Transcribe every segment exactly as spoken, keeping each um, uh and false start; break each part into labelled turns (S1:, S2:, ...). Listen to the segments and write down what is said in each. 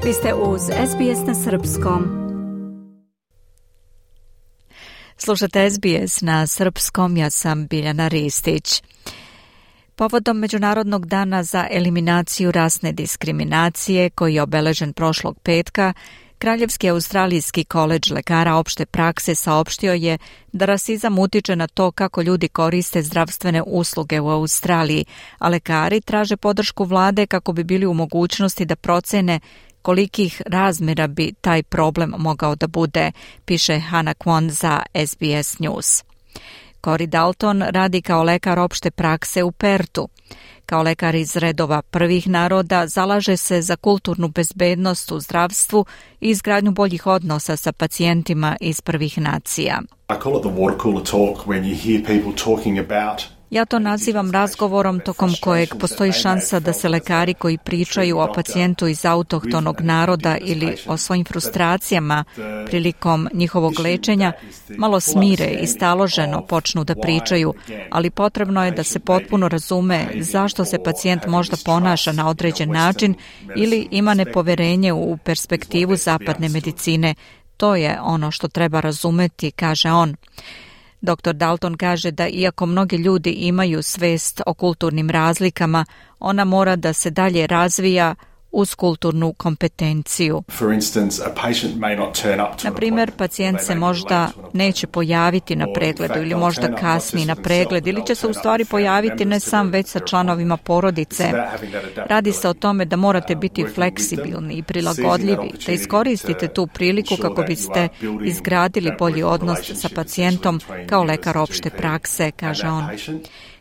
S1: Vi ste uz S B S na srpskom. Slušate S B S na srpskom, ja sam Biljana Ristić. Povodom Međunarodnog dana za eliminaciju rasne diskriminacije, koji je obeležen prošlog petka, Kraljevski australijski koledž lekara opšte prakse saopštio je da rasizam utiče na to kako ljudi koriste zdravstvene usluge u Australiji, a lekari traže podršku vlade kako bi bili u mogućnosti da procene kolikih razmjera bi taj problem mogao da bude, piše Hannah Kwon za S B S News. Corey Dalton radi kao lekar opšte prakse u Pertu. Kao lekar iz redova prvih naroda zalaže se za kulturnu bezbednost u zdravstvu i izgradnju boljih odnosa sa pacijentima iz prvih nacija.
S2: I call it the water cooler talk when you hear people talking about.
S1: Ja to nazivam razgovorom tokom kojeg postoji šansa da se lekari koji pričaju o pacijentu iz autohtonog naroda ili o svojim frustracijama prilikom njihovog lečenja malo smire i staloženo počnu da pričaju, ali potrebno je da se potpuno razume zašto se pacijent možda ponaša na određen način ili ima nepoverenje u perspektivu zapadne medicine. To je ono što treba razumeti, kaže on. doktor Dalton kaže da iako mnogi ljudi imaju svest o kulturnim razlikama, ona mora da se dalje razvija uz kulturnu kompetenciju. Na primjer, pacijent se možda neće pojaviti na pregledu ili možda kasni na pregled ili će se u stvari pojaviti ne sam već sa članovima porodice. Radi se o tome da morate biti fleksibilni i prilagodljivi, da iskoristite tu priliku kako biste izgradili bolji odnos sa pacijentom kao lekar opšte prakse, kaže on.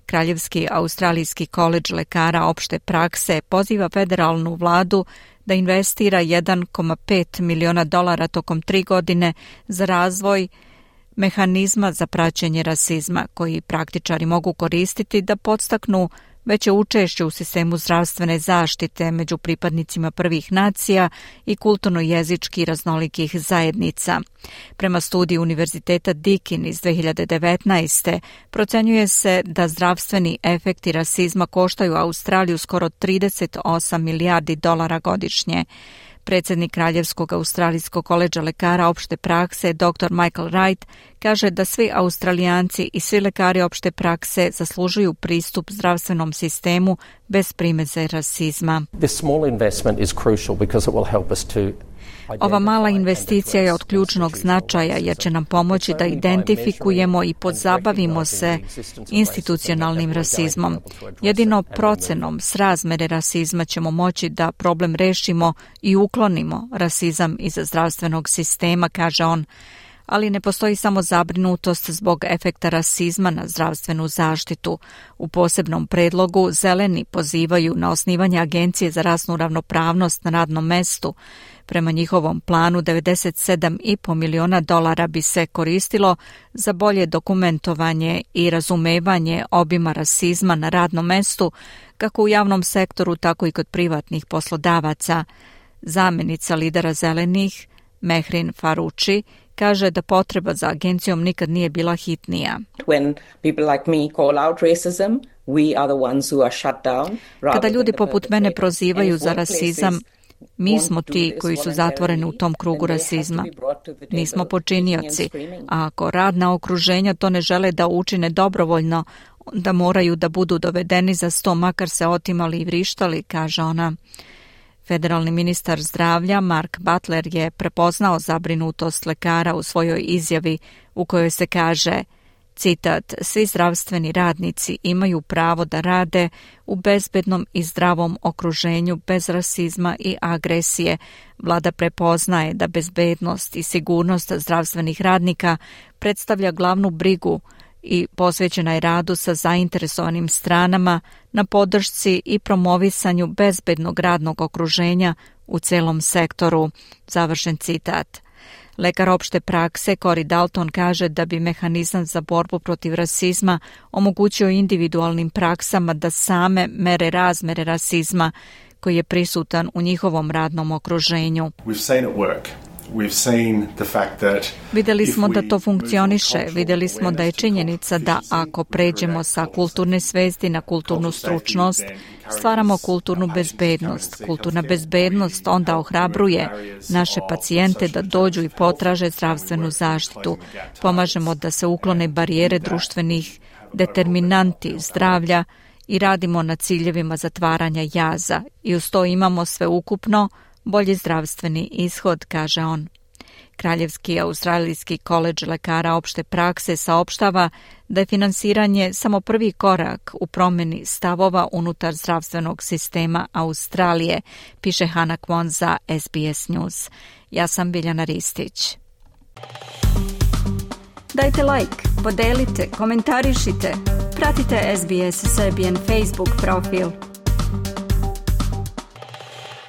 S1: Kraljevski australijski koledž lekara opšte prakse poziva federalnu vladu da investira jedan zarez pet miliona dolara tokom tri godine za razvoj mehanizma za praćenje rasizma, koji praktičari mogu koristiti da podstaknu veće učešće u sistemu zdravstvene zaštite među pripadnicima prvih nacija i kulturno-jezički raznolikih zajednica. Prema studiji Univerziteta Deakin iz dve hiljade devetnaeste. procenjuje se da zdravstveni efekti rasizma koštaju Australiju skoro trideset osam milijardi dolara godišnje. Predsjednik Kraljevskog australijskog koledža lekara opšte prakse, doktor Michael Wright, kaže da svi Australijanci i svi lekari opšte prakse zaslužuju pristup zdravstvenom sistemu bez primeze rasizma.
S3: This small investment is crucial because it will help us to
S1: Ova mala investicija je od ključnog značaja jer će nam pomoći da identifikujemo i pozabavimo se institucionalnim rasizmom. Jedino procenom srazmere rasizma ćemo moći da problem rešimo i uklonimo rasizam iz zdravstvenog sistema, kaže on. Ali ne postoji samo zabrinutost zbog efekta rasizma na zdravstvenu zaštitu. U posebnom predlogu zeleni pozivaju na osnivanje Agencije za rasnu ravnopravnost na radnom mestu. Prema njihovom planu devedeset sedam zarez pet miliona dolara bi se koristilo za bolje dokumentovanje i razumevanje obima rasizma na radnom mestu, kako u javnom sektoru, tako i kod privatnih poslodavaca. Zamenica lidera zelenih, Mehrin Faruči, kaže da potreba za agencijom nikad nije bila hitnija. Kada ljudi poput mene prozivaju za rasizam, mi smo ti koji su zatvoreni u tom krugu rasizma. Nismo počinioci, a ako radna okruženja to ne žele da učine dobrovoljno, onda moraju da budu dovedeni za sto, makar se otimali i vrištali, kaže ona. Federalni ministar zdravlja Mark Butler je prepoznao zabrinutost lekara u svojoj izjavi u kojoj se kaže, citat, svi zdravstveni radnici imaju pravo da rade u bezbednom i zdravom okruženju bez rasizma i agresije. Vlada prepoznaje da bezbednost i sigurnost zdravstvenih radnika predstavlja glavnu brigu i posvećena je radu sa zainteresovanim stranama na podršci i promovisanju bezbednog radnog okruženja u celom sektoru. Završen citat. Lekar opšte prakse Corey Dalton kaže da bi mehanizam za borbu protiv rasizma omogućio individualnim praksama da same mere razmere rasizma koji je prisutan u njihovom radnom okruženju.
S2: We've seen it work.
S1: Vidjeli smo da to funkcioniše, vidjeli smo da je činjenica da ako pređemo sa kulturne svesti na kulturnu stručnost, stvaramo kulturnu bezbednost. Kulturna bezbednost onda ohrabruje naše pacijente da dođu i potraže zdravstvenu zaštitu. Pomažemo da se uklone barijere društvenih determinanti zdravlja i radimo na ciljevima zatvaranja jaza i uz to imamo sveukupno bolji zdravstveni ishod, kaže on. Kraljevski australijski koledž lekara opšte prakse saopštava da je finansiranje samo prvi korak u promjeni stavova unutar zdravstvenog sistema Australije, piše Hana Kwon za S B S News. Ja sam Biljana Ristić. Dajte like, podelite, komentarišite, pratite S B S Serbian Facebook profil.